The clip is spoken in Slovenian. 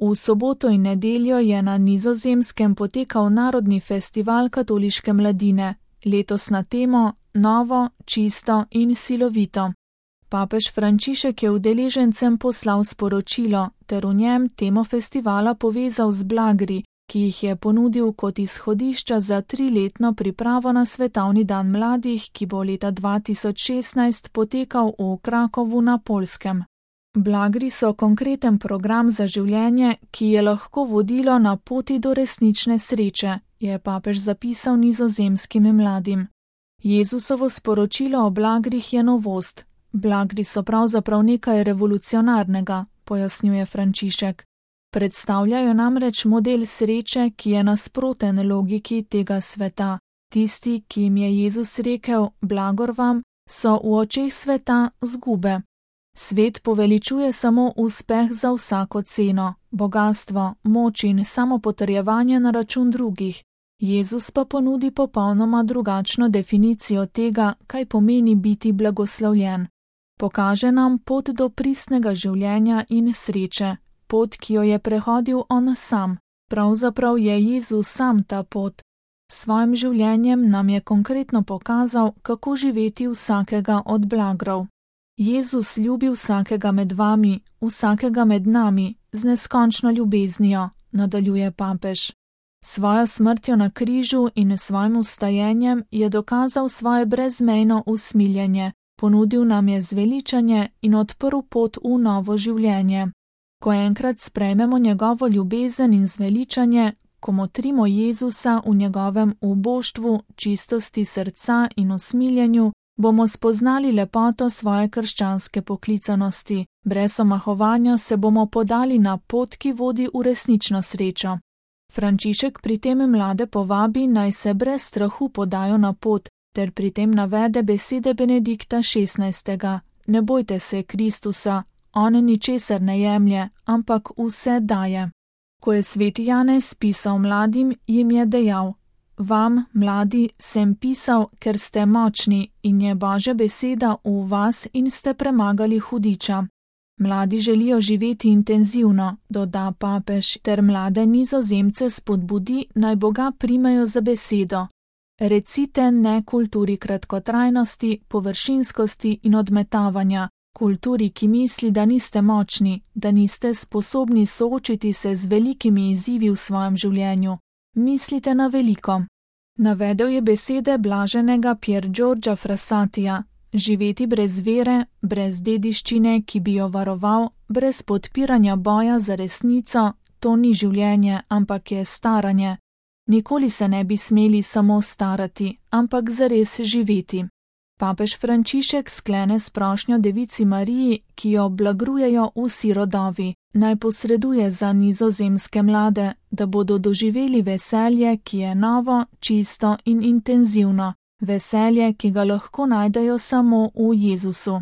V soboto in nedeljo je na Nizozemskem potekal Narodni festival katoliške mladine, letos na temo Novo, čisto in silovito. Papež Frančišek je udeležencem poslal sporočilo ter v njem temo festivala povezal z blagri, ki jih je ponudil kot izhodišča za 3-letno pripravo na Svetovni dan mladih, ki bo leta 2016 potekal v Krakowu na Poljskem. Blagri so konkreten program za življenje, ki je lahko vodilo na poti do resnične sreče, je papež zapisal nizozemskim mladim. Jezusovo sporočilo o blagrih je novost. Blagri so pravzaprav nekaj revolucionarnega, pojasnjuje Frančišek. Predstavljajo namreč model sreče, ki je nasproten logiki tega sveta. Tisti, ki jim je Jezus rekel, blagor vam, so v očeh sveta zgube. Svet poveličuje samo uspeh za vsako ceno, bogastvo, moč in samopotrjevanje na račun drugih. Jezus pa ponudi popolnoma drugačno definicijo tega, kaj pomeni biti blagoslovljen. Pokaže nam pot do pristnega življenja in sreče, pot, ki jo je prehodil on sam. Pravzaprav je Jezus sam ta pot. S svojim življenjem nam je konkretno pokazal, kako živeti vsakega od blagrov. Jezus ljubi vsakega med vami, vsakega med nami, z neskončno ljubeznijo, nadaljuje papež. Svojo smrtjo na križu in svojim vstajenjem je dokazal svoje brezmejno usmiljenje, ponudil nam je zveličanje in odprl pot v novo življenje. Ko enkrat sprejmemo njegovo ljubezen in zveličanje, ko motrimo Jezusa v njegovem uboštvu, čistosti srca in usmiljenju, bomo spoznali lepoto svoje krščanske poklicanosti. Brez omahovanja se bomo podali na pot, ki vodi v resnično srečo. Frančišek pri tem mlade povabi, naj se brez strahu podajo na pot, ter pri tem navede besede Benedikta XVI. Ne bojte se Kristusa, on ničesar ne jemlje, ampak vse daje. Ko je sveti Janez pisal mladim, jim je dejal: Vam, mladi, sem pisal, ker ste močni in je Božja beseda v vas in ste premagali hudiča. Mladi želijo živeti intenzivno, doda papež, ter mlade Nizozemce spodbudi, naj Boga primejo za besedo. Recite ne kulturi kratkotrajnosti, površinskosti in odmetavanja, kulturi, ki misli, da niste močni, da niste sposobni soočiti se z velikimi izzivi v svojem življenju. Mislite na veliko. Navedel je besede blaženega Pier Giorgia Frassatija: živeti brez vere, brez dediščine, ki bi jo varoval, brez podpiranja boja za resnico, to ni življenje, ampak je staranje. Nikoli se ne bi smeli samo starati, ampak zares živeti. Papež Frančišek sklene s prošnjo Devici Mariji, ki jo blagrujejo vsi rodovi, naj posreduje za nizozemske mlade, da bodo doživeli veselje, ki je novo, čisto in intenzivno, veselje, ki ga lahko najdejo samo v Jezusu.